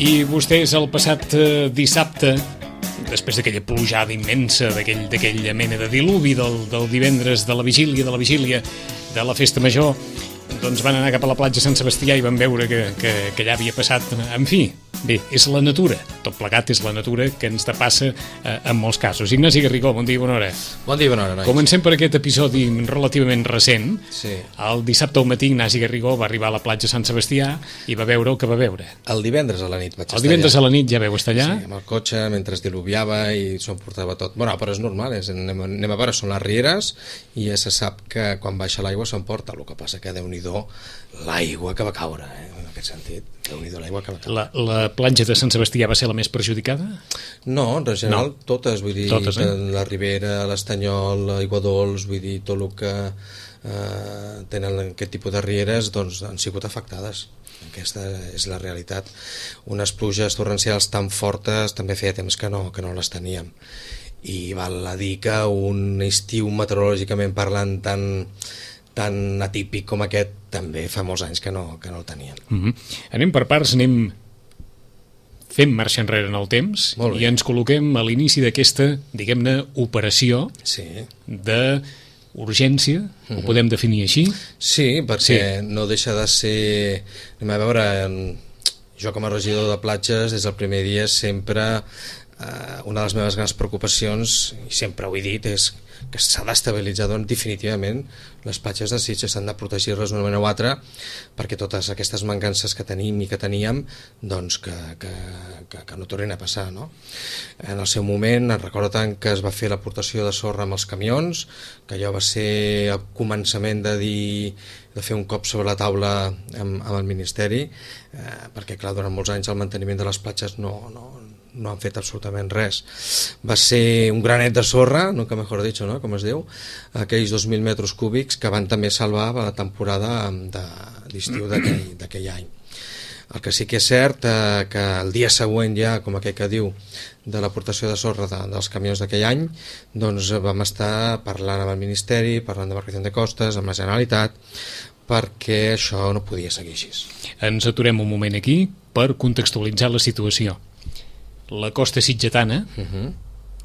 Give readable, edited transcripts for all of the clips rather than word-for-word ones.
I vostès el passat dissabte, després d'aquella plujada immensa, d'aquella mena de diluvi del divendres de la vigília de la festa major, doncs van anar cap a la platja Sant Sebastià i van veure que allà havia passat, en fi, bé, és la natura, tot plegat és la natura que ens depassa en molts casos. Ignasi Garrigó, bon dia i bona hora. Bon dia i bona hora, nois. Comencem per aquest episodi relativament recent. Sí. El dissabte al matí Ignasi Garrigó va arribar a la platja Sant Sebastià i va veure el que va veure. El divendres a la nit vaig estar allà. El divendres a la nit ja vau estar allà? Sí, amb el cotxe, mentre es diluviava i s'ho portava tot. Bueno, però és normal, anem a veure, són les rieres i ja se sap que quan baixa l'aigua s'emporta. El que passa que Déu-n'hi-do l'aigua que va caure, en aquest sentit. Déu-n'hi-do l'aigua que va caure. La platja de Sant Sebastià va ser la més perjudicada? No, en general totes, vull dir, totes, la Ribera, l'Estanyol, l'Aigua Dols, vull dir, tot el que tenen aquest tipus de rieres, doncs han sigut afectades. Aquesta és la realitat. Unes pluges torrencials tan fortes també feia temps que no les teníem. I val a dir que un estiu meteorològicament parlant tan atípic com aquest també fa molts anys que no el teníem. Anem per parts, anem fent marxa enrere en el temps i ens col·loquem a l'inici d'aquesta, diguem-ne, operació d'urgència, ho podem definir així? Sí, perquè no deixa de ser... Anem a veure, jo com a regidor de platges des del primer dia sempre una de les meves grans preocupacions, i sempre ho he dit, és que s'ha d'estabilitzar definitivament les platges de Sitges, s'han de protegir-les d'una manera o altra perquè totes aquestes mancances que tenim i que teníem doncs que no tornin a passar, no? En el seu moment em recordo tant que es va fer l'aportació de sorra amb els camions, que allò va ser el començament de fer un cop sobre la taula amb el Ministeri, perquè clar, durant molts anys el manteniment de les platges no han fet absolutament res. Va ser un granet de sorra, nunca mejor dicho, ¿no? Com es diu, aquells 2.000 metres cúbics que van també salvar la temporada d'estiu d'aquell any. El que sí que és cert que el dia següent ja, com aquell que diu, de l'aportació de sorra dels camions d'aquell any, doncs vam estar parlant amb el Ministeri, parlant de Marcación de Costes, amb la Generalitat, perquè això no podia seguir així. Ens aturem un moment aquí per contextualitzar la situació. La costa sitgetana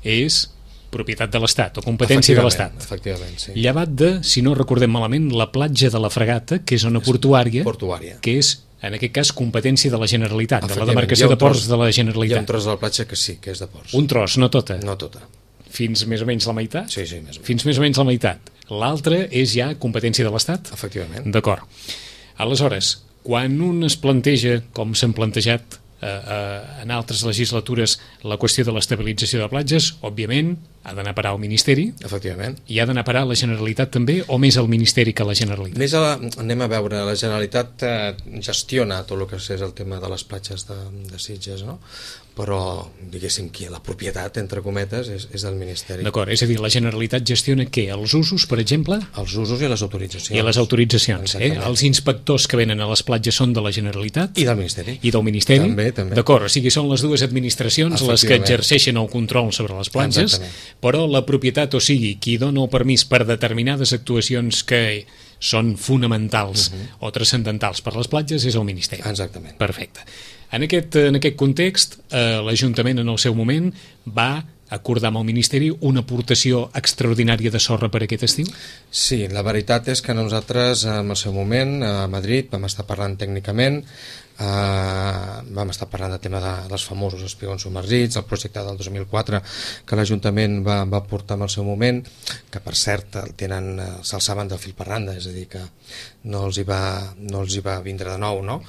és propietat de l'Estat o competència de l'Estat. Efectivament, sí. Llevat de, si no recordem malament, la platja de la Fregata, que és zona portuària, que és, en aquest cas, competència de la Generalitat, de la demarcació de ports de la Generalitat. Hi ha un tros de la platja que sí, que és de ports. Un tros, no tota? No tota. Fins més o menys la meitat? Sí, més o menys. Fins més o menys la meitat. L'altra és ja competència de l'Estat? Efectivament. D'acord. Aleshores, quan un es planteja, com s'han plantejat en altres legislatures, la qüestió de l'estabilització de platges, òbviament ha d'anar a parar al Ministeri. Efectivament. I ha d'anar a parar a la Generalitat també, o més al Ministeri que a la Generalitat? Anem a veure, la Generalitat gestiona tot el que és el tema de les platges de Sitges, no? Però, diguéssim, que la propietat, entre cometes, és del Ministeri. D'acord, és a dir, la Generalitat gestiona què? Els usos, per exemple? Els usos i les autoritzacions. I les autoritzacions, Els inspectors que venen a les platges són de la Generalitat? I del Ministeri. I del Ministeri? També. D'acord, o sigui, són les dues administracions les que exerceixen el control sobre les platges. Exactament. Però la propietat, o sigui, qui dona el permís per determinades actuacions que són fonamentals o transcendentals per les platges és el Ministeri. Exactament. Perfecte. En aquest context, l'Ajuntament en el seu moment va acordar amb el Ministeri una aportació extraordinària de sorra per aquest estiu? Sí, la veritat és que nosaltres en el seu moment a Madrid vam estar parlant tècnicament, vam estar parlant del tema dels famosos espigons submergits, el projecte del 2004 que l'Ajuntament va portar en el seu moment, que per cert s'alçaven del fil per randa, és a dir que no els hi va vindre de nou, no?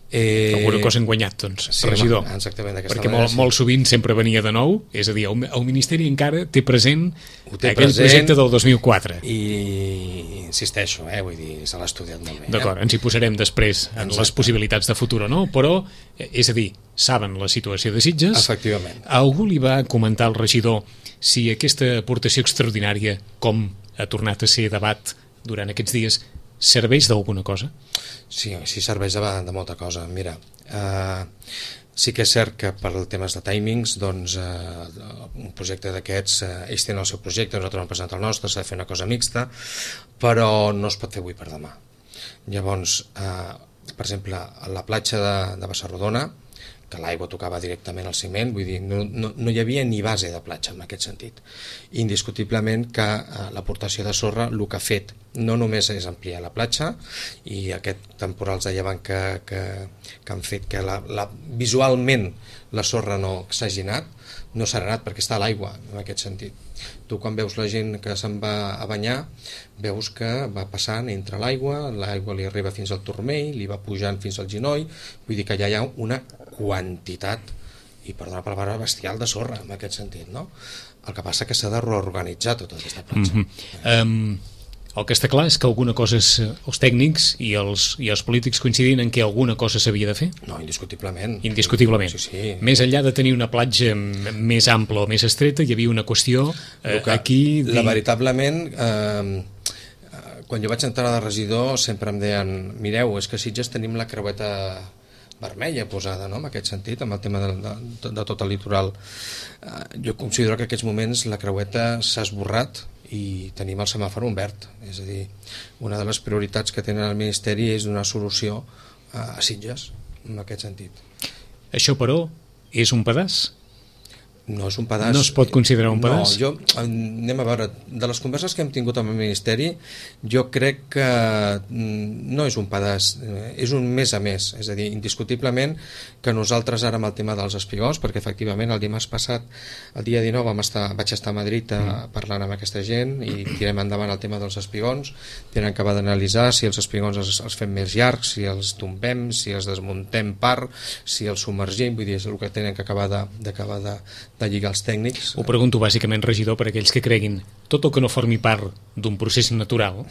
Alguna cosa hem guanyat, doncs, regidor. Exactament, perquè molt sovint sempre venia de nou, és a dir, el Ministeri encara té present aquell projecte del 2004. I insisteixo, vull dir, se l'ha estudiat molt bé. D'acord, ens hi posarem després en les possibilitats de futur o no, però, és a dir, saben la situació de Sitges. Efectivament. Algú li va comentar al regidor si aquesta aportació extraordinària, com ha tornat a ser debat durant aquests dies, serveix d'alguna cosa? Sí, serveix de molta cosa. Mira, sí que és cert que per temes de timings, doncs, un projecte d'aquests, ells tenen el seu projecte, nosaltres hem presentat el nostre, s'ha de fer una cosa mixta, però no es pot fer avui per demà. Llavors, per exemple, a la platja de Bassarrodona, que l'aigua tocava directament al ciment, vull dir, no hi havia ni base de platja en aquest sentit. Indiscutiblement que l'aportació de sorra el que ha fet no només és ampliar la platja, i aquest temporals de llevant que han fet que visualment la sorra no s'hagi anat, no s'ha anat perquè està a l'aigua en aquest sentit. Tu quan veus la gent que se'n va a banyar veus que va passant entre l'aigua li arriba fins al turmell, li va pujant fins al genoll, vull dir que ja hi ha una quantitat, i perdona la paraula, bestial de sorra en aquest sentit, no? El que passa que s'ha de reorganitzar tota aquesta platja. El que està clar és que alguna cosa els tècnics i els polítics coincidien en que alguna cosa s'havia de fer? No, indiscutiblement. Indiscutiblement. Sí. Més enllà de tenir una platja més ampla o més estreta, hi havia una qüestió aquí... Veritablement, quan jo vaig entrar de regidor sempre em deien, mireu, és que a Sitges tenim la creueta vermella posada, no?, en aquest sentit, amb el tema de tot el litoral. Jo considero que en aquests moments la creueta s'ha esborrat i tenim el semàfor en verd, és a dir, una de les prioritats que tenen el Ministeri és donar solució a Sitges en aquest sentit. Això, però, és un pedaç? No és un pedaç. No es pot considerar un pedaç? No, anem a veure, de les converses que hem tingut amb el Ministeri, jo crec que no és un pedaç, és un més a més, és a dir, indiscutiblement que nosaltres ara amb el tema dels espigons, perquè efectivament el dimarts passat, el dia 19, vaig estar a Madrid parlant amb aquesta gent i tirem endavant el tema dels espigons, tenen que acabar d'analitzar si els espigons els fem més llargs, si els tombem, si els desmuntem part, si els submergim, vull dir, és el que tenen que acabar de lligar els tècnics. Ho pregunto bàsicament, regidor, per aquells que creguin tot el que no formi part d'un procés natural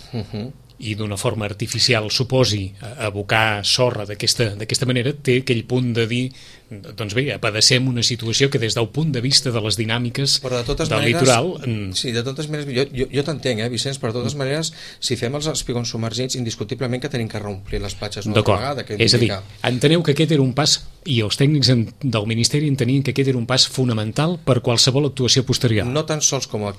i d'una forma artificial suposi abocar sorra d'aquesta manera, té aquell punt de dir, doncs bé, apadecem una situació que des del punt de vista de les dinàmiques del litoral... Sí, de totes maneres, jo t'entenc, Vicenç, però de totes maneres, si fem els espigons submergits, indiscutiblement que tenim que reomplir les platges una vegada. És a dir, enteneu que aquest era un pas, i els tècnics del Ministeri entenien que aquest era un pas fonamental per qualsevol actuació posterior. No tan sols com un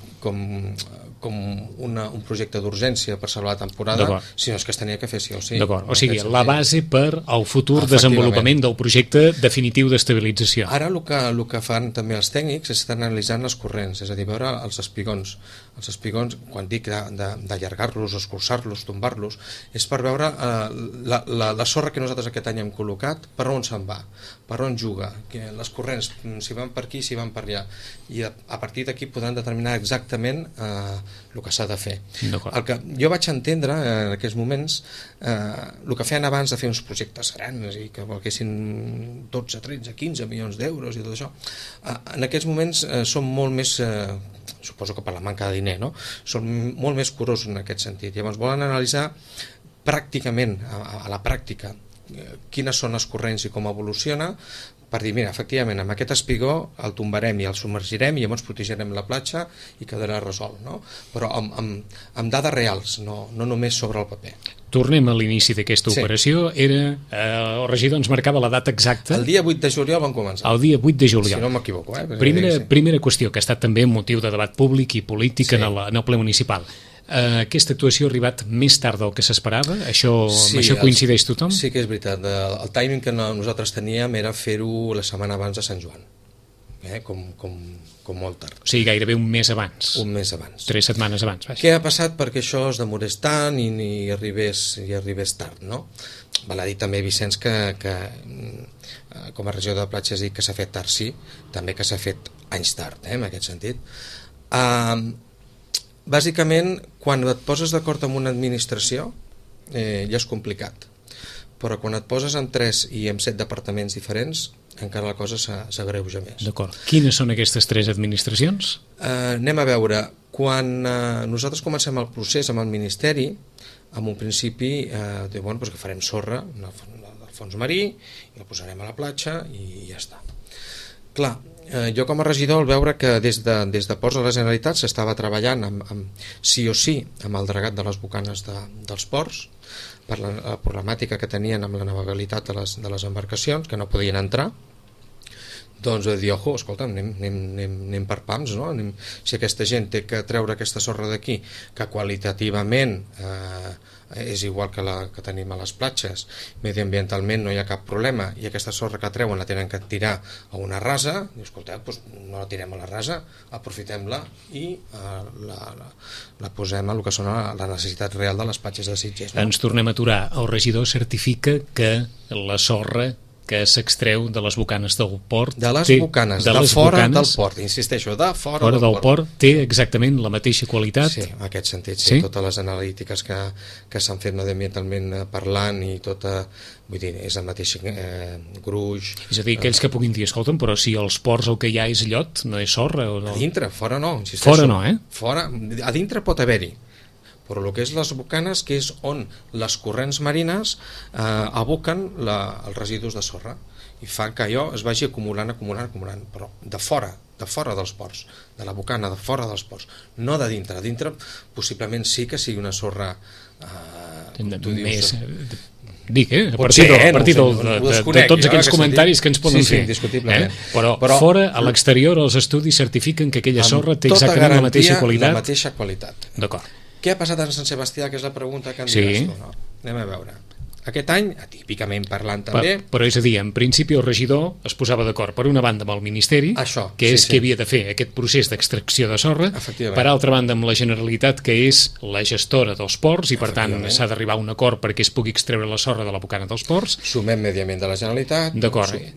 projecte d'urgència per salvar la temporada, sinó que es tenia que fer sí o sí. D'acord, o sigui, la base per al futur desenvolupament del projecte definitiu d'estabilització. Ara el que fan també els tècnics és estar analitzant les corrents, és a dir, veure els espigons. Els espigons, quan dic d'allargar-los, escurçar-los, tombar-los, és per veure la sorra que nosaltres aquest any hem col·locat, per on se'n va, per on juga, les corrents, si van per aquí, si van per allà, i a partir d'aquí podran determinar exactament el que s'ha de fer. El que jo vaig entendre en aquests moments, el que feien abans de fer uns projectes grans i que valguessin 12, 13, 15 milions d'euros i tot això, en aquests moments són molt més, suposo que per la manca de diner, no? Són molt més curosos en aquest sentit. Llavors volen analitzar pràcticament, a la pràctica, quines són les corrents i com evoluciona, per dir, mira, efectivament, amb aquest espigó el tombarem i el submergirem i llavors protegirem la platja i quedarà resolt, no? Però amb dades reals, no només sobre el paper. Tornem a l'inici d'aquesta operació. El regidor ens marcava la data exacta. El dia 8 de juliol van començar. El dia 8 de juliol. Si no m'equivoco. Primera qüestió, que ha estat també motiu de debat públic i polític en el ple municipal. Aquesta actuació ha arribat més tard del que s'esperava? Això coincideix tothom? Sí que és veritat. El timing que nosaltres teníem era fer-ho la setmana abans de Sant Joan. Com molt tard. O sigui, gairebé un mes abans. Un mes abans. 3 setmanes abans. Què ha passat perquè això es demorés tant i arribés tard, no? Val a dir també, Vicenç, que com a regidor de platges dic que s'ha fet tard, sí, també que s'ha fet anys tard, en aquest sentit. Bàsicament, quan et poses d'acord amb una administració, ja és complicat. Però quan et poses en 3 i en 7 departaments diferents, encara la cosa s'agreuja més. D'acord. Quines són aquestes 3 administracions? Anem a veure. Quan nosaltres comencem el procés amb el Ministeri, en un principi, que farem sorra del fons marí, i la posarem a la platja i ja està. Clar, jo com a regidor, al veure que des de Ports de la Generalitat s'estava treballant sí o sí amb el dragat de les bocanes dels ports, per la problemàtica que tenien amb la navegabilitat de les embarcacions, que no podien entrar, doncs de dir, ojo, escolta, anem per pams, no? Si aquesta gent té que treure aquesta sorra d'aquí, que qualitativament és igual que la que tenim a les platges, mediambientalment no hi ha cap problema, i aquesta sorra que treuen la tenen que tirar a una rasa, i escolta, doncs no la tirem a la rasa, aprofitem-la i la posem a el que són la necessitat real de les platges de Sitges, no? Ens tornem a aturar. El regidor certifica que la sorra que s'extreu de les bocanes del port... De les bocanes, de fora del port, insisteixo, de fora del port. Té exactament la mateixa qualitat? Sí, en aquest sentit, sí. Totes les analítiques que s'han fet mediambientalment parlant i tota... Vull dir, és el mateix gruix... És a dir, aquells que puguin dir, escolta'm, però si als ports el que hi ha és llot, no és sorra? O no? A dintre, fora no, insisteixo. Fora no, Fora, a dintre pot haver-hi, però el que és les bocanes, que és on les corrents marines aboquen els residus de sorra i fan que allò es vagi acumulant, però de fora dels ports, de la bocana, de fora dels ports, no de dintre. A dintre possiblement sí que sigui una sorra més... Dic, a partir de tots aquells comentaris que ens poden fer. Indiscutiblement. Però fora, a l'exterior, els estudis certifiquen que aquella sorra té exactament la mateixa qualitat. La mateixa qualitat. D'acord. Què ha passat a Sant Sebastià, que és la pregunta que em diràs tu, no? Anem a veure. Aquest any, atípicament parlant també... Però és a dir, en principi el regidor es posava d'acord per una banda amb el Ministeri, que és qui havia de fer aquest procés d'extracció de sorra, per altra banda amb la Generalitat, que és la gestora dels ports, i per tant s'ha d'arribar a un acord perquè es pugui extreure la sorra de la bocana dels ports. Sumem Medi Ambient de la Generalitat,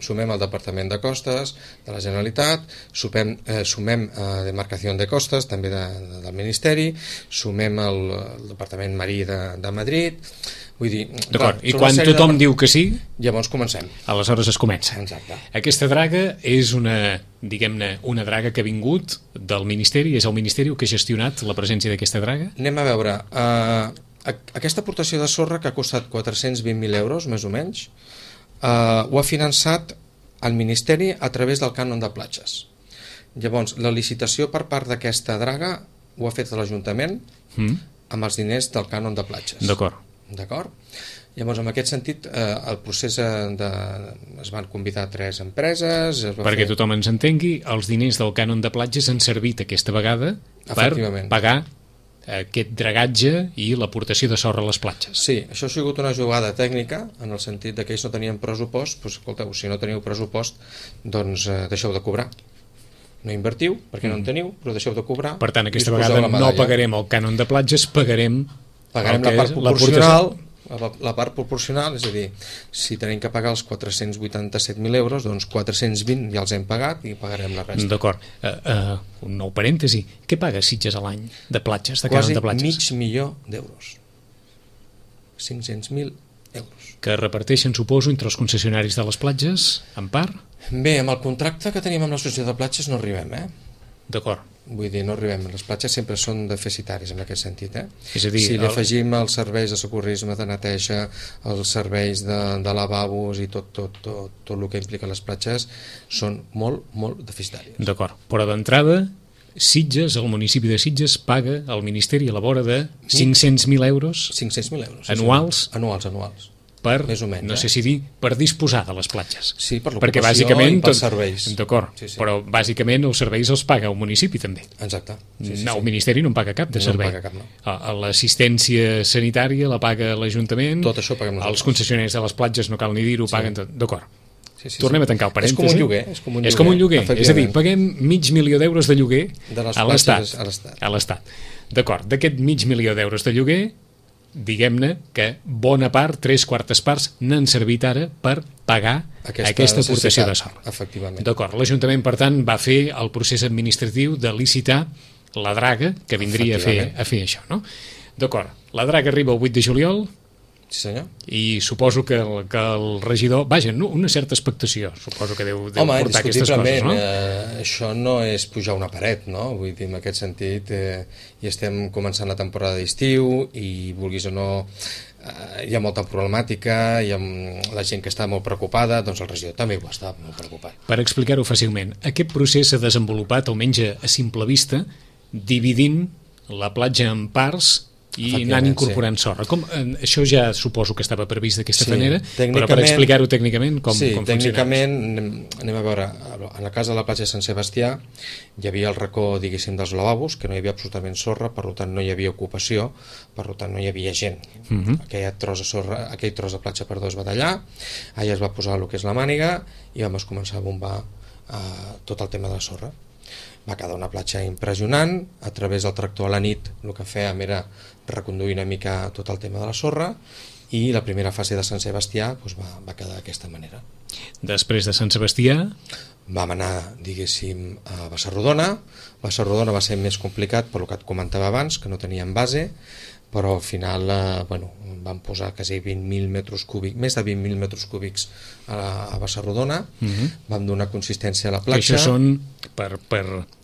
sumem el Departament de Costes de la Generalitat, sumem Demarcació de Costes, també del Ministeri, sumem el Departament Marí de Madrid... Vull dir, d'acord, i quan tothom diu que sí, llavors comencem. Aleshores es comença. Exacte. Aquesta draga és una draga que ha vingut del Ministeri, és el Ministeri que ha gestionat la presència d'aquesta draga? Anem a veure, aquesta aportació de sorra que ha costat 420.000 euros, més o menys, ho ha finançat el Ministeri a través del cànon de platges. Llavors, la licitació per part d'aquesta draga ho ha fet l'Ajuntament amb els diners del cànon de platges. D'acord? Llavors, en aquest sentit, el procés es van convidar 3 empreses... Perquè tothom ens entengui, els diners del cànon de platges han servit aquesta vegada per pagar aquest dragatge i l'aportació de sorra a les platges. Sí, això ha sigut una jugada tècnica, en el sentit que ells no tenien pressupost, doncs escolteu, si no teniu pressupost, doncs deixeu de cobrar. No invertiu, perquè no en teniu, però deixeu de cobrar. Per tant, aquesta vegada no pagarem el cànon de platges, pagarem la part proporcional, la part proporcional, és a dir, si tenim que pagar els 487.000 euros, doncs 420 ja els hem pagat i pagarem la resta. D'acord. Un nou parèntesi. Què paga Sitges a l'any de platges, de cànon de platges? Quasi $500.000. 500.000 euros. Que reparteixen, suposo, entre els concessionaris de les platges, en part? Bé, amb el contracte que tenim amb l'associació de platges no arribem, D'acord. Vull dir, no arribem. Les platges sempre són deficitaris en aquest sentit, És a dir, si li afegim els serveis de socorrisme, de neteja, els serveis de lavabos i tot el que implica les platges, són molt, molt deficitaris. D'acord, però d'entrada Sitges, el municipi de Sitges paga al Ministeri a la vora de 500.000 euros 500.000 euros anuals per, més o menys, no sé si dir, per disposar de les platges. Sí, per l'ocupació i pels serveis. D'acord, però bàsicament els serveis els paga el municipi també. Exacte. El Ministeri no en paga cap de servei. No en paga cap, no. L'assistència sanitària la paga l'Ajuntament, tot això paguem nosaltres. Els concessionaris de les platges no cal ni dir-ho, paguen tot. D'acord. Tornem a tancar el parèntesi. És com un lloguer. És com un lloguer. És a dir, paguem $500.000 de lloguer a l'Estat. D'acord, d'aquest $500.000 de lloguer, diguem-ne que bona part, 3/4 parts, n'han servit ara per pagar aquesta aportació de sorra. Efectivament. D'acord, l'Ajuntament, per tant, va fer el procés administratiu de licitar la draga que vindria a fer això, no? D'acord, la draga arriba el 8 de juliol. Sí, senyor. I suposo que el regidor... Vaja, una certa expectació, suposo que deu portar aquestes coses, no? Això no és pujar una paret, no? Vull dir, en aquest sentit, ja estem començant la temporada d'estiu i, vulguis o no, hi ha molta problemàtica, hi ha la gent que està molt preocupada, doncs el regidor també ho està molt preocupat. Per explicar-ho fàcilment, aquest procés s'ha desenvolupat, almenys a simple vista, dividint la platja en parts i anant incorporant sorra. Això ja suposo que estava previst d'aquesta manera, però per explicar-ho tècnicament com funciona. Tècnicament, anem a veure, en el cas de la platja de Sant Sebastià hi havia el racó, diguéssim, dels lavabos, que no hi havia absolutament sorra, per tant no hi havia ocupació, per tant no hi havia gent. Aquell tros de platja, es va tallar, allà es va posar el que és la màniga i vam començar a bombar tot el tema de la sorra. Va quedar una platja impressionant. A través del tractor a la nit el que fèiem era reconduir una mica tot el tema de la sorra, i la primera fase de Sant Sebastià va quedar d'aquesta manera. Després de Sant Sebastià vam anar, diguéssim, a Bassarrodona. Bassarrodona va ser més complicat per el que et comentava abans, que no teníem base, però al final vam posar quasi 20.000 metres cúbics, més de 20.000 metres cúbics a Bassarrodona. Vam donar consistència a la platja. Això són, per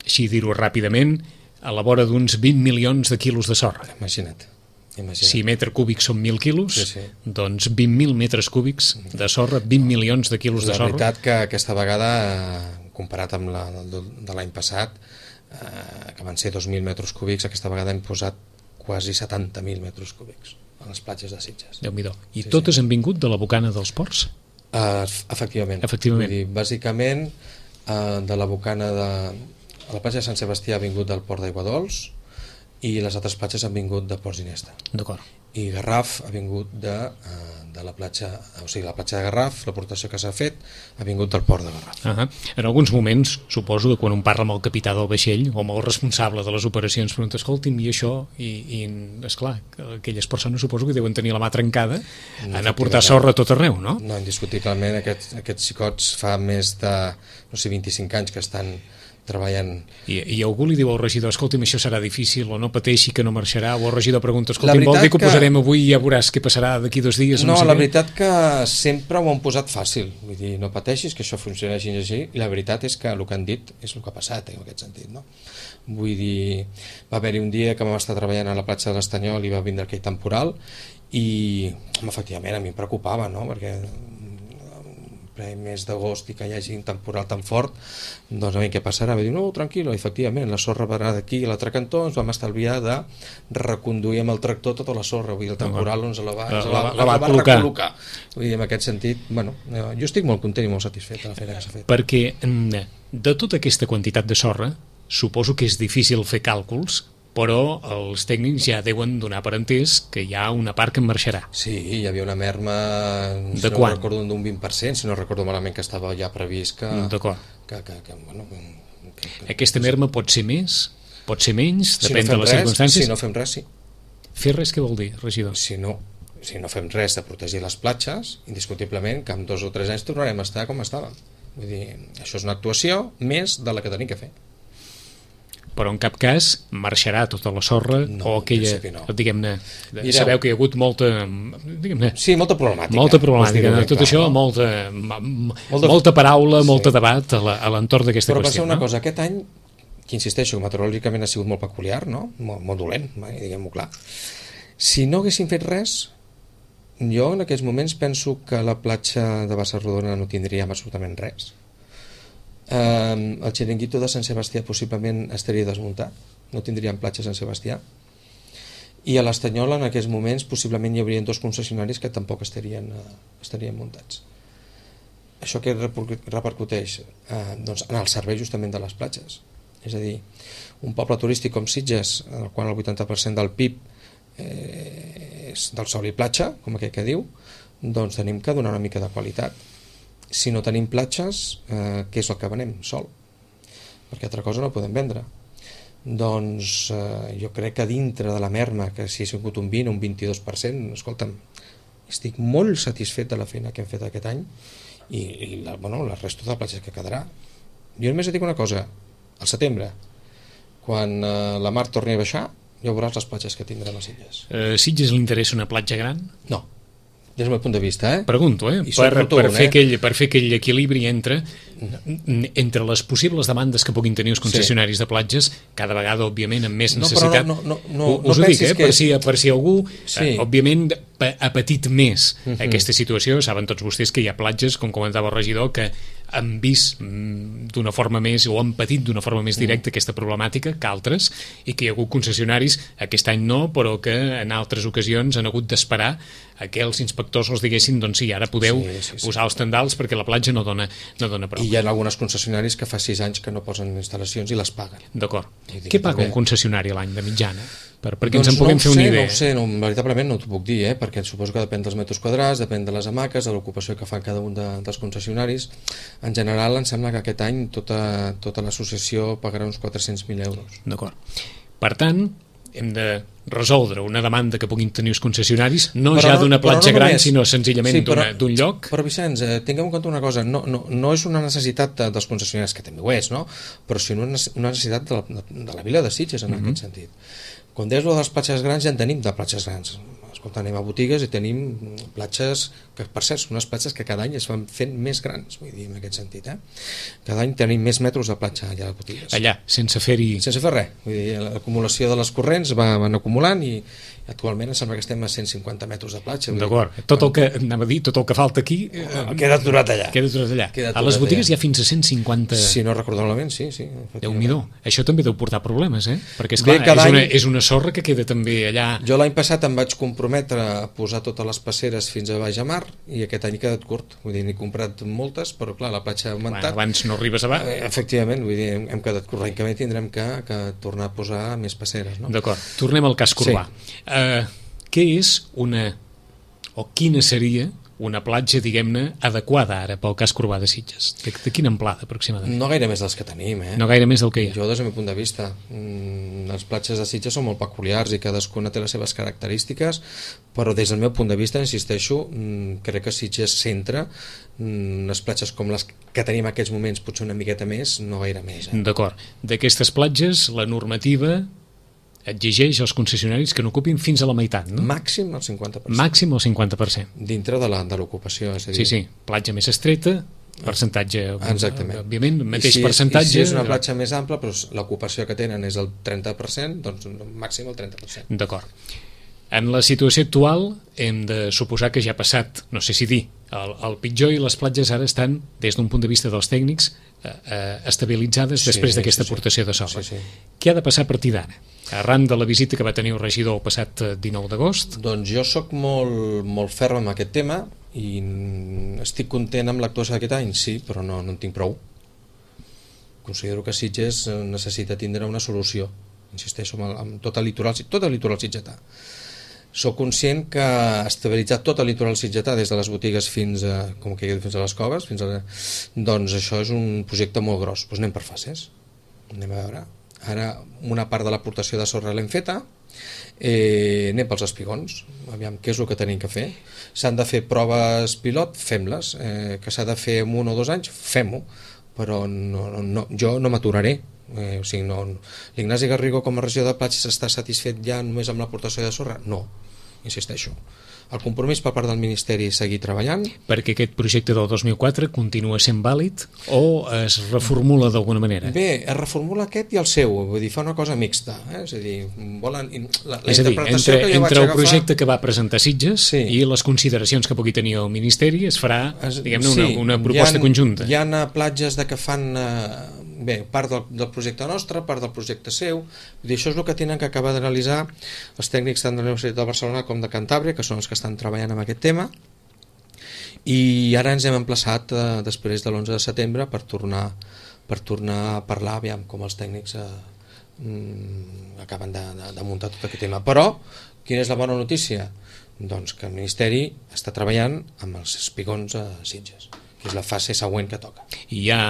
així dir-ho ràpidament, a la vora d'uns 20 milions de quilos de sorra. Imagina't. Si metre cúbic són 1.000 quilos, doncs 20.000 metres cúbics de sorra, 20 milions de quilos de sorra. La veritat que aquesta vegada, comparat amb la de l'any passat, que van ser 2.000 metres cúbics, aquesta vegada hem posat quasi 70.000 metres cúbics a les platges de Sitges. Déu-n'hi-do. I totes han vingut de la bocana dels ports? Efectivament. Vull dir, bàsicament, de la bocana de... La platja de Sant Sebastià ha vingut del port d'Aiguadols i les altres platges han vingut de Ports d'Inesta. D'acord. I Garraf ha vingut de la platja, o sigui, la platja de Garraf, l'aportació que s'ha fet ha vingut del port de Garraf. En alguns moments, suposo que quan un parla amb el capità del vaixell o amb el responsable de les operacions, pregunta, escolti'm, i això, i esclar, aquelles persones suposo que deuen tenir la mà trencada en aportar sorra a tot arreu, no? No, indiscutiblement, aquests xicots fa més de, 25 anys que estan treballant. I algú li diu al regidor, escolti'm, això serà difícil, o no pateixi que no marxarà, o el regidor pregunta, escolti'm, vol dir que ho posarem avui i ja veuràs què passarà d'aquí 2 dies? No, la veritat que sempre ho han posat fàcil, vull dir, no pateixis que això funcionarà així, i la veritat és que el que han dit és el que ha passat, en aquest sentit, no? Vull dir, va haver-hi un dia que vam estar treballant a la platja de l'Estanyol i va vindre aquell temporal, i efectivament a mi em preocupava, no?, perquè mes d'agost i que hi hagi un temporal tan fort, doncs a mi què passarà? Va dir, no, tranquil·lo, efectivament, la sorra va d'aquí a l'altre cantó, ens vam estalviar de reconduir amb el tractor tota la sorra, vull dir, el temporal ens la va recol·locar. Vull dir, en aquest sentit, bueno, jo estic molt content i molt satisfet de la feina que s'ha fet. Perquè de tota aquesta quantitat de sorra, suposo que és difícil fer càlculs, però els tècnics ja deuen donar per entès que hi ha una part que en marxarà. Sí, hi havia una merma, de quan? No recordo, d'un 20%, si no recordo malament, que estava ja previst que... D'acord. Bueno, aquesta merma pot ser més, pot ser menys, depèn de les circumstàncies? Si no fem res, sí. Fer res què vol dir, regidor? Si no fem res de protegir les platges, indiscutiblement que en 2 o 3 anys tornarem a estar com estàvem. Vull dir, això és una actuació més de la que tenim que fer. Però en cap cas marxarà tota la sorra, no, o aquella, no. Diguem-ne, sabeu que hi ha hagut molta, diguem-ne... Sí, molta problemàtica. Molta problemàtica, tot això, molta paraula, molt debat a l'entorn d'aquesta qüestió. Però passa una cosa, aquest any, que insisteixo, meteorològicament ha sigut molt peculiar, no? Molt dolent, diguem-ho clar. Si no haguéssim fet res, jo en aquests moments penso que la platja de Bassarrodona no tindríem absolutament res. El xiringuito de Sant Sebastià possiblement estaria desmuntat, no tindríem platja a Sant Sebastià, i a l'Estanyol en aquests moments possiblement hi haurien 2 concessionaris que tampoc estarien muntats. Això que repercuteix doncs, en el servei justament de les platges, és a dir, un poble turístic com Sitges, en el qual el 80% del PIB és del sol i platja, com aquell que diu, doncs tenim que donar una mica de qualitat. Si no tenim platges, què és el que venem? Sol. Perquè altra cosa no podem vendre. Doncs jo crec que dintre de la merma, que si ha sigut un 20 o un 22%, escolta'm, estic molt satisfet de la feina que hem fet aquest any i la resta de platges que quedarà. Jo només et dic una cosa, al setembre, quan la mar torni a baixar, ja veuràs les platges que tindrem a Sitges. Sitges li interessa una platja gran? No. Des del meu punt de vista, Pregunto, per fer aquell equilibri entre les possibles demandes que puguin tenir els concessionaris de platges, cada vegada, òbviament, amb més necessitat. Us ho dic, per si algú, òbviament, ha patit més aquesta situació. Saben tots vostès que hi ha platges, com comentava el regidor, que han vist d'una forma més, o han patit d'una forma més directa aquesta problemàtica que altres, i que hi ha hagut concessionaris, aquest any no, però que en altres ocasions han hagut d'esperar a que els inspectors els diguessin, doncs sí, ara podeu posar els tendals perquè la platja no dona prou. I hi ha algunes concessionaris que fa 6 anys que no posen instal·lacions i les paguen. D'acord. Què paga un concessionari a l'any de mitjana? Perquè ens en puguem fer una idea. No ho sé, veritablement no t'ho puc dir, perquè suposo que depèn dels metres quadrats, depèn de les hamaques, de l'ocupació que fan cada un dels concessionaris. En general, em sembla que aquest any tota l'associació pagarà uns 400.000 euros. D'acord. Per tant, hem de resoldre una demanda que puguin tenir els concessionaris, d'una platja gran, sinó senzillament d'un lloc. Però Vicenç, tinguem en compte una cosa, no és una necessitat dels concessionaris, que també ho és, no? Però sí una necessitat de la vila de Sitges, en aquest sentit. Quan deies de les platges grans, ja en tenim de platges grans. Escolta, anem a botigues i tenim platges que, per cert, són unes platges que cada any es van fent més grans, vull dir, en aquest sentit, Cada any tenim més metres de platja allà a les botigues. Allà, sense fer res. Vull dir, l'acumulació de les corrents van acumulant i actualment em sembla que estem a 150 metres de platja. D'acord. Tot el que falta aquí queda aturat allà. A les botigues hi ha fins a 150... Si no recordo malament, sí. Déu-n'hi-do. Això també deu portar problemes, perquè esclar, és una sorra que queda també allà... Jo l'any passat em vaig comprometre a posar totes les passeres fins a baix a mar i aquest any he quedat curt. Vull dir, n'he comprat moltes, però clar, la platja ha augmentat. Abans no arribes a baix. Efectivament, vull dir, hem quedat curt. L'any que ve tindrem que tornar a posar més passeres, no? D'acord. Tornem al cas Corbà. Què és quina seria una platja, diguem-ne, adequada ara pel cas Corbà de Sitges? De quina amplada, aproximadament? No gaire més dels que tenim, No gaire més del que hi ha. Jo, des del meu punt de vista, les platges de Sitges són molt peculiars i cadascuna té les seves característiques, però des del meu punt de vista, insisteixo, crec que Sitges centra unes platges com les que tenim en aquests moments, potser una miqueta més, no gaire més. D'acord. D'aquestes platges, la normativa exigeix als concessionaris que n'ocupin fins a la meitat, no? Màxim el 50%. Màxim el 50%. Dintre de l'ocupació, és a dir... Sí, platja més estreta, percentatge... Exactament. Òbviament, mateix percentatge... I si és una platja més ampla, però l'ocupació que tenen és el 30%, doncs màxim el 30%. D'acord. En la situació actual hem de suposar que ja ha passat, no sé si dir, el pitjor, i les platges ara estan, des d'un punt de vista dels tècnics, estabilitzades després d'aquesta aportació de sorra. Què ha de passar a partir d'ara? Arran de la visita que va tenir el regidor el passat 19 d'agost? Doncs jo sóc molt ferm amb aquest tema i estic content amb l'actuació d'aquest any, sí, però no en tinc prou. Considero que Sitges necessita tindre una solució, insisteixo, amb tot el litoral sitgetà. Soc conscient que estabilitzar tot el litoral sitgetà des de les botigues fins a les coves, doncs això és un projecte molt gros. Doncs anem per fases. Anem a veure. Ara una part de l'aportació de sorra l'hem feta, anem pels espigons, aviam què és el que tenim que fer. S'han de fer proves pilot, fem-les, que s'ha de fer en 1 o 2 anys, fem-ho, però jo no m'aturaré. L'Ignasi Garrigo com a regidor de platges està satisfet ja només amb l'aportació de sorra? No, insisteixo. El compromís per part del Ministeri és seguir treballant. Perquè aquest projecte del 2004 continua sent vàlid o es reformula d'alguna manera? Bé, es reformula aquest i el seu, vull dir, fa una cosa mixta, És a dir, volen... entre el projecte que va presentar Sitges i les consideracions que pugui tenir el Ministeri es farà, diguem-ne, una proposta conjunta. Hi ha platges que fan... Bé, part del projecte nostre, part del projecte seu, i això és el que tenen que acabar d'analitzar els tècnics tant de la Universitat de Barcelona com de Cantàbria, que són els que estan treballant amb aquest tema, i ara ens hem emplaçat després de l'11 de setembre per tornar a parlar, aviam com els tècnics acaben de muntar tot aquest tema. Però, quina és la bona notícia? Doncs que el Ministeri està treballant amb els espigons a Sitges, que és la fase següent que toca. I hi ha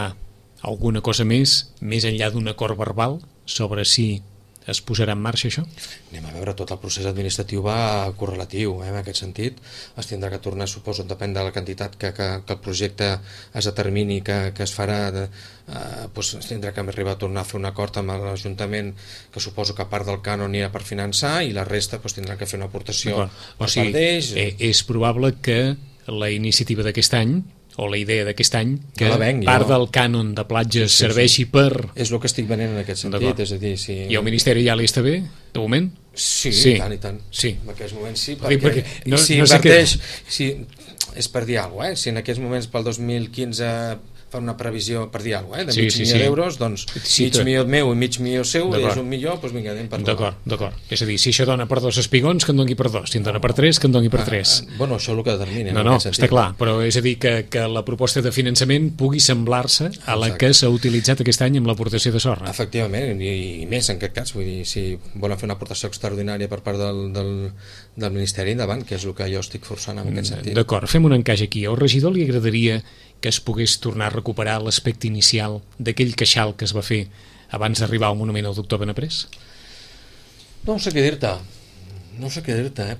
alguna cosa més enllà d'un acord verbal sobre si es posarà en marxa això? Anem a veure, tot el procés administratiu va correlatiu, en aquest sentit. Es tindrà que tornar, suposo, depèn de la quantitat que el projecte es determini que es farà, es tindrà que arribar a tornar a fer un acord amb l'Ajuntament, que suposo que part del cànon anirà per finançar i la resta tindrà que fer una aportació per part d'ells. És probable que la iniciativa d'aquest any o la idea d'aquest any, que part del cànon de platges serveixi per... És el que estic venent en aquest sentit, és a dir... I el Ministeri ja li està bé, de moment? Sí, tant i tant. En aquests moments sí, perquè si inverteix... És per dir alguna cosa, si en aquests moments pel 2015 fan una previsió, per dir alguna cosa, de Sí, mig sí, milió sí. d'euros, doncs Sí, mig milió meu i mig milió seu, D'acord. és 1 milió, doncs vinga, anem per D'acord. És a dir, si això dona per 2 espigons, que en doni per 2. Si en dona per 3, que en doni per 3. Bueno, això és el que determina. No, està clar, però és a dir que la proposta de finançament pugui semblar-se a la que s'ha utilitzat aquest any amb l'aportació de sorra. Efectivament, i més en aquest cas, vull dir, si volen fer una aportació extraordinària per part del Ministeri, endavant, que és el que jo estic forçant en aquest sentit. D'acord, fem un encaix aquí. Al regidor li agradaria que es pogués tornar a recuperar l'aspecte inicial d'aquell queixal que es va fer abans d'arribar al monument al doctor Benaprés? No sé què dir-te,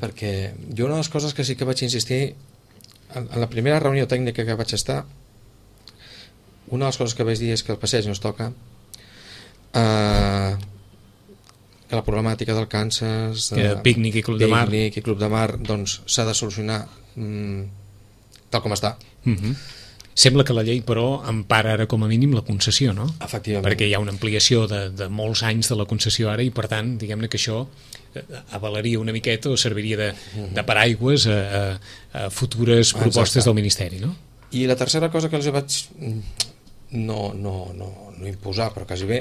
perquè jo una de les coses que sí que vaig insistir en la primera reunió tècnica que vaig estar, una de les coses que vaig dir és que el passeig no es toca, que la problemàtica del Kansas, pícnic i club de mar, doncs s'ha de solucionar tal com està. Sembla que la llei, però, empara ara com a mínim la concessió, no? Efectivament. Perquè hi ha una ampliació de molts anys de la concessió ara i, per tant, diguem-ne que això avalaria una miqueta o serviria de paraigües a futures propostes del Ministeri, no? I la tercera cosa que els vaig no imposar, però quasi bé,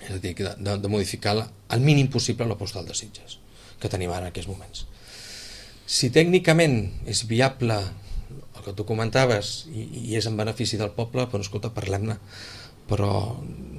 és a dir, de modificar al mínim possible la postal de Sitges que tenim ara en aquests moments. Si tècnicament és viable el que tu comentaves i és en benefici del poble, doncs escolta, parlem-ne, però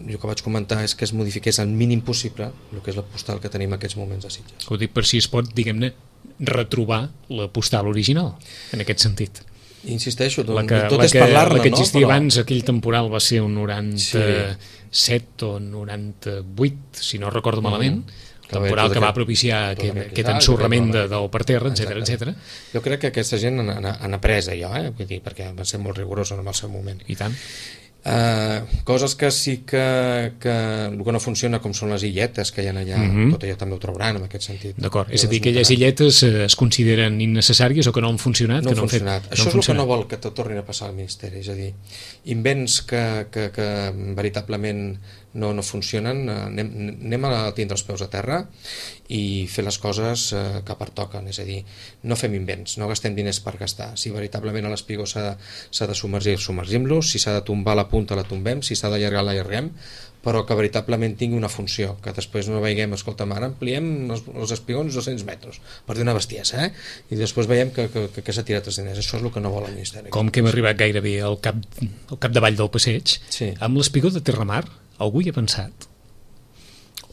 jo que vaig comentar és que es modifiqués al mínim possible el que és la postal que tenim en aquests moments a Sitges. Ho dic per si es pot, diguem-ne, retrobar la postal original, en aquest sentit. Insisteixo, tot és parlar-ne, no? La que existia abans, aquell temporal va ser un 97 o 98, si no recordo malament, temporal que va propiciar aquest ensorrament del per terra, etc. Jo crec que aquesta gent han après allò, vull dir, perquè van ser molt rigorosos en el seu moment. I tant. Coses que sí que el que no funciona, com són les illetes que hi ha allà, tot allò també ho trauran en aquest sentit. D'acord, és a dir, que aquelles illetes es consideren innecessàries o que no han funcionat? No han funcionat. Això és el que no vol que te tornin a passar al Ministeri, és a dir, invents que veritablement no funcionen, anem a tindre els peus a terra i fer les coses que pertoquen, és a dir, no fem invents, no gastem diners per gastar. Si veritablement a l'espigó s'ha de submergir, submergim-lo, si s'ha de tombar la punta la tombem, si s'ha d'allargar l'allarguem, però que veritablement tingui una funció, que després no veiem, escolta, ara ampliem els espigons 200 metres, per dir una bestiesa, i després veiem que s'ha tirat els diners. Això és el que no vol el Ministeri. Com que hem arribat gairebé al capdavall del passeig, amb l'espigó de Terramar, algú hi ha pensat?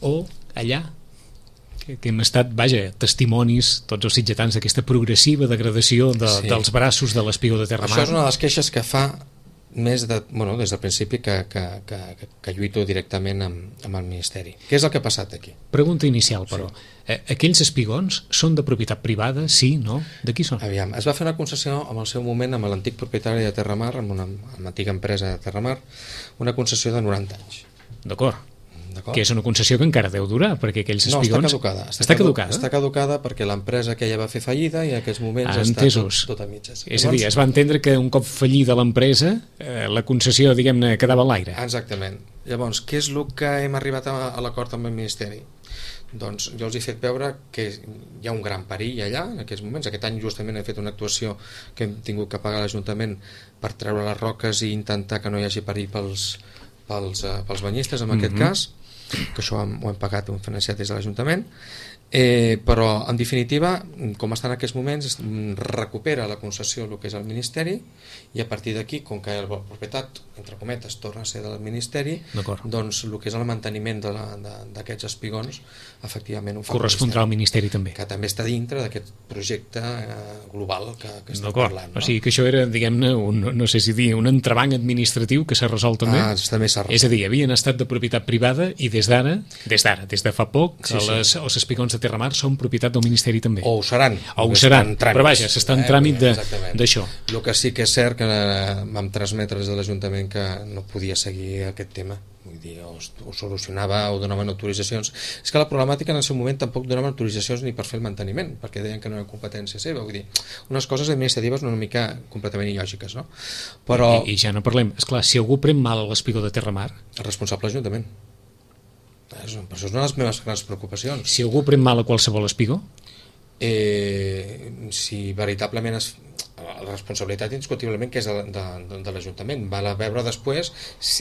O allà, que hem estat, testimonis, tots els sitgetans, d'aquesta progressiva degradació dels braços de l'espigó de Terramar. Això és una de les queixes que fa des del principi que lluito directament amb el Ministeri. Què és el que ha passat aquí? Pregunta inicial, però. Aquells espigons són de propietat privada? Sí, no? De qui són? Aviam, es va fer una concessió en el seu moment amb l'antic propietari de Terramar, amb una antiga empresa de Terramar, una concessió de 90 anys. D'acord. Que és una concessió que encara deu durar, perquè aquells espigons... No, està caducada. Està caducada perquè l'empresa aquella va fer fallida i en aquests moments està tot a mitges. És a dir, es va entendre que un cop fallida l'empresa, la concessió, diguem-ne, quedava a l'aire. Exactament. Llavors, què és el que hem arribat a l'acord amb el Ministeri? Doncs jo els he fet veure que hi ha un gran perill allà en aquests moments. Aquest any justament he fet una actuació que hem tingut que pagar a l'Ajuntament per treure les roques i intentar que no hi hagi perill pels banyistes en aquest cas, que això ho hem pagat, ho hem financiat des de l'Ajuntament, però en definitiva, com està en aquests moments, recupera la concessió el que és el Ministeri, i a partir d'aquí, com que la propietat, entre cometes, torna a ser del Ministeri, doncs el que és el manteniment d'aquests espigons efectivament ho fa correspondrà al Ministeri també, que també està dintre d'aquest projecte global que estem parlant, no? O sigui que això era, diguem-ne, no sé si dir, un entrebanc administratiu que s'ha resolt també. També s'ha resolt. És a dir, havien estat de propietat privada i des de fa poc, els espigons de Terramar són propietat del Ministeri també. O ho seran. Però vaja, s'està en tràmit d'això. El que sí que és cert que vam transmetre des de l'Ajuntament que no podia seguir aquest tema, vull dir, o solucionava o donaven autoritzacions. És que la problemàtica en el seu moment tampoc donaven autoritzacions ni per fer el manteniment, perquè deien que no era competència seva, vull dir, unes coses administratives una mica completament il·lògiques, no? Però... I ja no parlem, esclar, si algú pren mal l'espigó de Terramar... El responsable de l'Ajuntament. Per això és una de les meves grans preocupacions. Si algú pren mal a qualsevol espigó? Si veritablement la responsabilitat indiscutiblement que és de l'Ajuntament. Val a veure després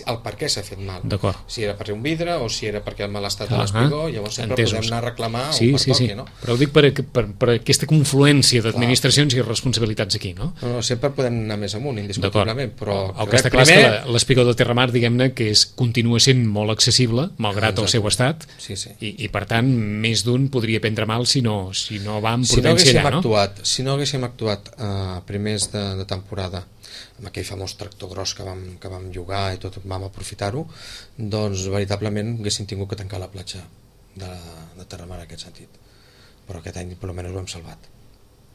el per què s'ha fet mal. Si era per un vidre o si era perquè el mal estat de l'espigó, llavors sempre podem anar a reclamar o per toqui, no? Però ho dic per aquesta confluència d'administracions i responsabilitats aquí, no? No, sempre podem anar més amunt, indiscutiblement, però el que està clar és que l'espigó de Terramar, diguem-ne, que continua sent molt accessible, malgrat el seu estat, i per tant, més d'un podria prendre mal si no va amb prudència allà, no? Si no haguéssim actuat a primers de temporada amb aquell famós tractor gros que vam llogar i tot vam aprofitar-ho, doncs veritablement haguéssim tingut que tancar la platja de Terramar en aquest sentit, però aquest any per almenys ho hem salvat.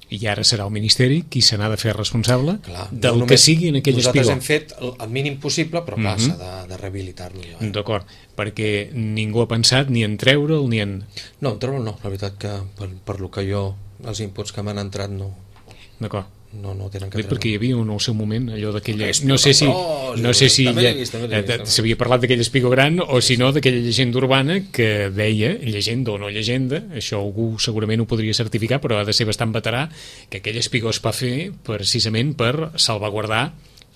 I ara serà el Ministeri qui se n'ha de fer responsable del que sigui en aquell espigó. Nosaltres hem fet el mínim possible, però clar, s'ha de rehabilitar-lo. D'acord, perquè ningú ha pensat ni en treure'l ni en... No, en treure'l no, la veritat que per lo que jo, els inputs que m'han entrat no... D'acord. No tenen que treure. Perquè hi havia en el seu moment allò d'aquella... No sé si s'havia parlat d'aquell espigó gran o si no d'aquella llegenda urbana que deia, llegenda o no llegenda, això algú segurament ho podria certificar, però ha de ser bastant veterà, que aquell espigó es va fer precisament per salvaguardar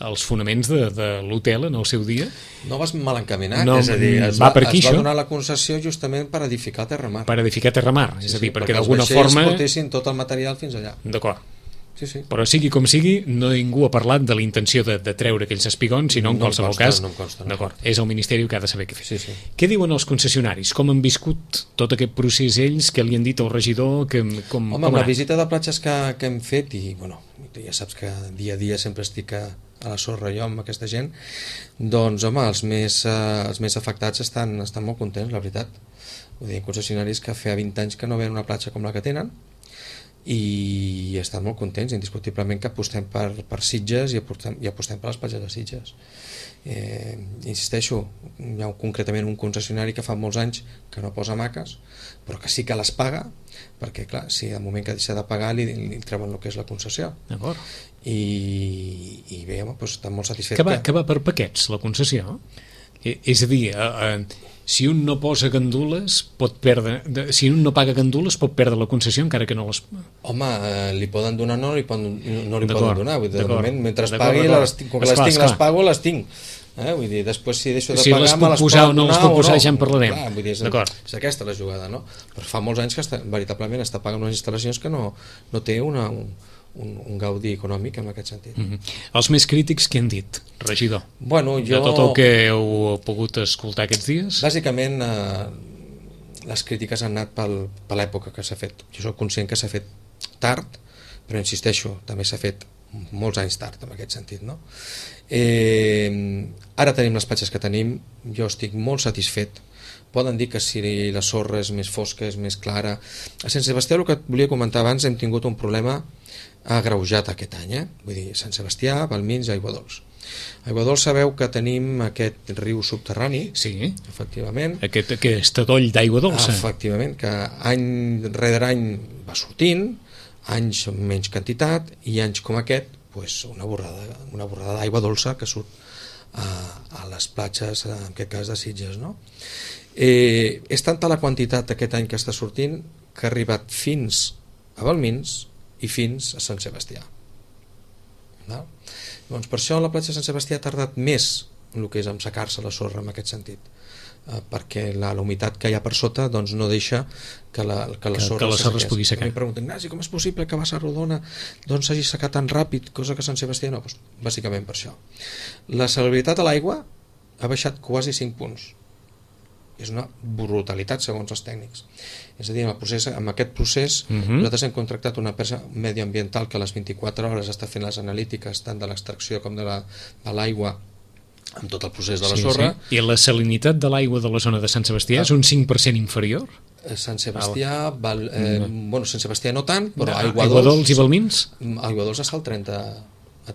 els fonaments de l'hotel en el seu dia. No vas mal encaminat, és a dir, es va donar la concessió justament per edificar Terramar. Per edificar Terramar, és a dir, perquè d'alguna forma... els vaixells portessin tot el material fins allà. D'acord. Però sigui com sigui, ningú ha parlat de la intenció de treure aquells espigons, sinó en qualsevol cas és el Ministeri que ha de saber què fer. Què diuen els concessionaris? Com han viscut tot aquest procés ells? Què li han dit al regidor? Home, amb la visita de platges que hem fet, i bueno, ja saps que dia a dia sempre estic a la sorra jo amb aquesta gent, doncs home, els més afectats estan molt contents, la veritat. Vull dir, concessionaris que feia 20 anys que no veien una platja com la que tenen, i estan molt contents, indiscutiblement que apostem per Sitges i apostem per les platges de Sitges. Insisteixo, hi ha concretament un concessionari que fa molts anys que no posa hamaques, però que sí que les paga, perquè clar, si al moment que deixa de pagar li treuen el que és la concessió. I bé, home, doncs estan molt satisfets. Que va per paquets la concessió? És a dir, si un no posa gandules pot perdre, si un no paga gandules pot perdre la concessió encara que no les... Home, li poden donar, no li poden donar, vull dir, de moment, mentre pagui, com que les pago, les tinc. Vull dir, després si deixo de pagar me les poden donar o no. Si les puc posar ja en parlarem. És aquesta la jugada, no? Però fa molts anys que veritablement està pagant unes instal·lacions que no té un gaudi econòmic en aquest sentit. Els més crítics què han dit, regidor? Bueno, de tot el que heu pogut escoltar aquests dies? Bàsicament les crítiques han anat per l'època que s'ha fet. Jo soc conscient que s'ha fet tard, però insisteixo, també s'ha fet molts anys tard en aquest sentit, no? Ara tenim les platges que tenim, jo estic molt satisfet. Poden dir que si la sorra és més fosca, és més clara. A Sant Sebastià, el que volia comentar abans, hem tingut un problema agreujat aquest any, vull dir, Sant Sebastià, Balmins i Aiguadols. Aiguadols sabeu que tenim aquest riu subterrani, sí, efectivament, aquest adoll d'aigua dolça, efectivament, que any rere any va sortint, anys amb menys quantitat, i anys com aquest, pues, una borrada d'aigua dolça que surt a les platges, en aquest cas de Sitges, no? És tanta la quantitat aquest any que està sortint que ha arribat fins a Balmins i fins a Sant Sebastià. Doncs per això la platja de Sant Sebastià ha tardat més en el que és assecar-se la sorra en aquest sentit, perquè la humitat que hi ha per sota doncs no deixa que la sorra es pugui secar. Em pregunten, Ignasi, com és possible que a Basarrodona doncs s'hagi secat tan ràpid, cosa que a Sant Sebastià no? Doncs, bàsicament per això. La salubritat a l'aigua ha baixat quasi 5 punts. És una brutalitat segons els tècnics. És a dir, amb aquest procés nosaltres hem contractat una empresa medioambiental que a les 24 hores està fent les analítiques tant de l'extracció com de l'aigua amb tot el procés de la sorra. I la salinitat de l'aigua de la zona de Sant Sebastià és un 5% inferior? Sant Sebastià, Sant Sebastià no tant, però Aiguadols i Balmins? Aiguadols està al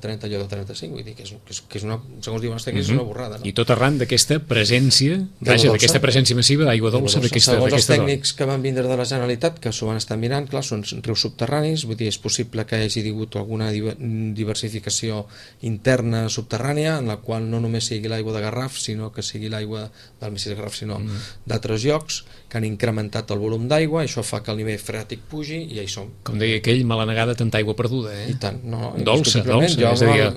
30 allò de 35, vull dir que és una, segons diuen els tècnics, és una borrada, no? I tot arran d'aquesta presència, d'aquesta presència massiva d'aigua dolça, segons els tècnics que van vindre de la Generalitat, que s'ho van estar mirant, clar, són rius subterranis, vull dir, és possible que hi hagi hagut alguna diversificació interna subterrània, en la qual no només sigui l'aigua de Garraf, sinó que sigui l'aigua del Messi de Garraf, sinó d'altres llocs, que han incrementat el volum d'aigua, això fa que el nivell freàtic pugi i ja hi som. Com deia aquell, mala negada, tanta aigua perduda, I tant, no, dolça, jo és a dir...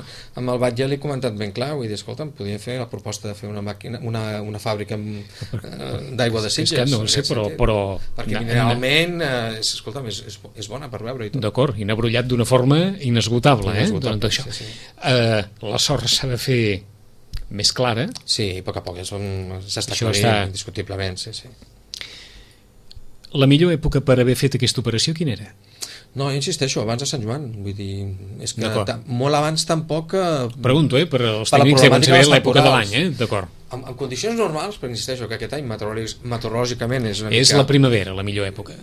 amb el Batlle l'he comentat ben clar, vull dir, escolta'm, podíem fer la proposta de fer una màquina, una fàbrica d'aigua de Sitges. És que no ho sé, però... Perquè mineralment, escolta'm, és bona per veure i tot. D'acord, i n'ha brollat d'una forma inesgotable, Inesgotable, doncs això. sí. La sorra s'ha de fer més clara. Sí, a poc a poc s'està clarint, indiscutiblement, sí. La millor època per haver fet aquesta operació quina era? No, insisteixo, abans de Sant Joan, vull dir, és que molt abans tampoc... Pregunto, per als tècnics deuen saber l'època de l'any, d'acord. En condicions normals, però insisteixo que aquest any meteorològicament és una mica... És la primavera, la millor època.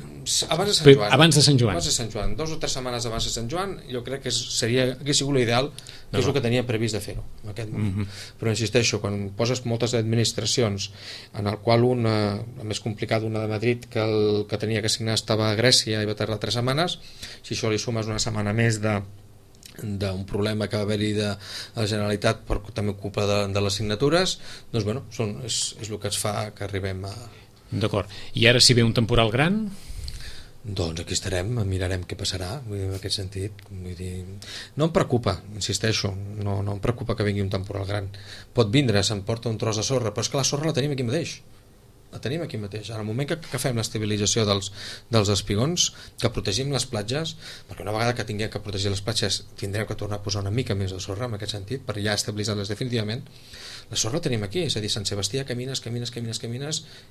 Abans de Sant Joan. Abans de Sant Joan. Abans de Sant Joan. 2 o 3 setmanes abans de Sant Joan, jo crec que hagués sigut l'ideal, que és el que tenia previst de fer-ho en aquest moment. Però insisteixo, quan poses moltes administracions, en el qual una, la més complicada, una de Madrid, que el que tenia que signar estava a Grècia i va tardar 3 setmanes, si això li sumes una setmana més d'un problema que va haver-hi de la Generalitat per també culpa de les signatures, doncs bueno, és el que ens fa que arribem a... D'acord. I ara si ve un temporal gran? Doncs aquí estarem, mirarem què passarà, vull dir, en aquest sentit. Vull dir, no em preocupa, insisteixo, no em preocupa que vingui un temporal gran. Pot vindre, s'emporta un tros de sorra, però és que la sorra la tenim aquí mateix. La tenim aquí mateix. En el moment que fem l'estabilització dels espigons, que protegim les platges, perquè una vegada que tinguem que protegir les platges tindrem que tornar a posar una mica més de sorra en aquest sentit, per ja estabilitzar-les definitivament. La sorra la tenim aquí, és a dir, Sant Sebastià camines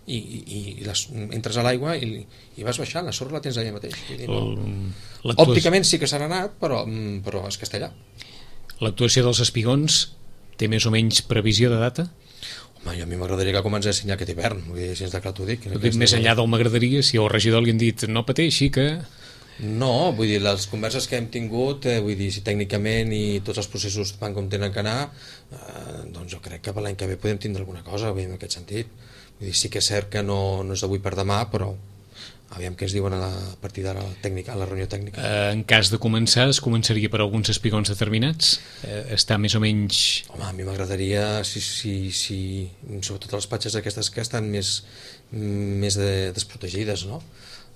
i entres a l'aigua i vas baixant, la sorra la tens allà mateix. Dir, no. Òpticament sí que s'ha anat, però és que està allà. L'actuació dels espigons té més o menys previsió de data? Home, a mi m'agradaria que comencés ja aquest hivern, vull dir, si és de clar t'ho dic. Més enllà del m'agradaria, si al regidor li han dit no pateixi que... No, vull dir, les converses que hem tingut, vull dir, si tècnicament i tots els processos van com tenen que anar, doncs jo crec que per l'any que ve podem tindre alguna cosa, en aquest sentit. Vull dir, sí que és cert que no és d'avui per demà, però aviam què es diuen a partir de la reunió tècnica. En cas de començar, es començaria per alguns espigons determinats? Està més o menys... Home, a mi m'agradaria, sobretot les platges aquestes que estan més desprotegides, no?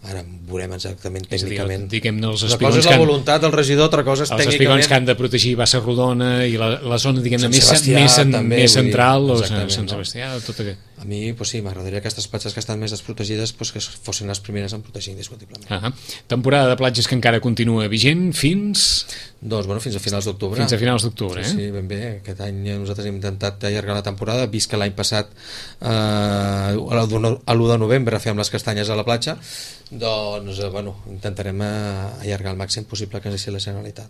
Ara veurem exactament tècnicament. Diguem-ne, una cosa és la voluntat del regidor, altra cosa és tècnicament... Els espigons que han de protegir Bassa Rodona i la zona, diguem-ne, més central, o Sant Sebastià, tot aquest. A mi, doncs sí, m'agradaria que aquestes platges que estan més desprotegides que fossin les primeres en protegir indiscutiblement. Temporada de platges que encara continua vigent fins... Doncs, bueno, fins a finals d'octubre. Fins a finals d'octubre, Sí, ben bé. Aquest any nosaltres hem intentat allargar la temporada, vist que l'any passat a l'1 de novembre fèiem les castanyes a la platja, doncs, bueno, intentarem allargar el màxim possible que ens deixi la Generalitat.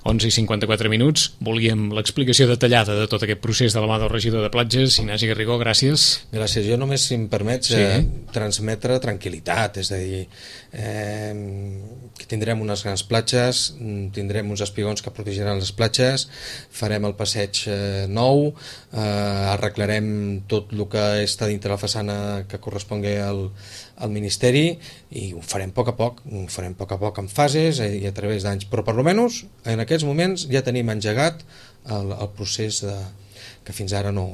11:54. Volíem l'explicació detallada de tot aquest procés de la mà del regidor de platges, Ignasi Garrigó, gràcies. Gràcies. Jo només, si em permets, transmetre tranquil·litat, és a dir, que tindrem unes grans platges, tindrem uns espigons que protegiran les platges, farem el passeig nou, arreglarem tot el que està dintre la façana que correspongui al Ministeri i ho farem a poc a poc, en fases i a través d'anys, però per almenys en aquests moments ja tenim engegat el procés que fins ara no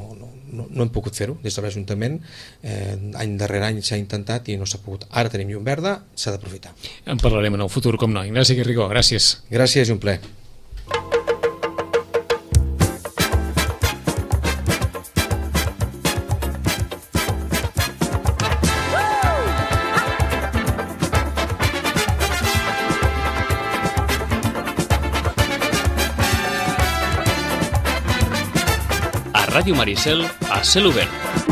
hem pogut fer-ho des de l'Ajuntament. Any darrere any s'ha intentat i no s'ha pogut. Ara tenim llum verda, s'ha d'aprofitar. En parlarem en el futur, com no. Ignasi Garrigó, gràcies. Gràcies i un plaer. Ràdio Maricel a cel obert.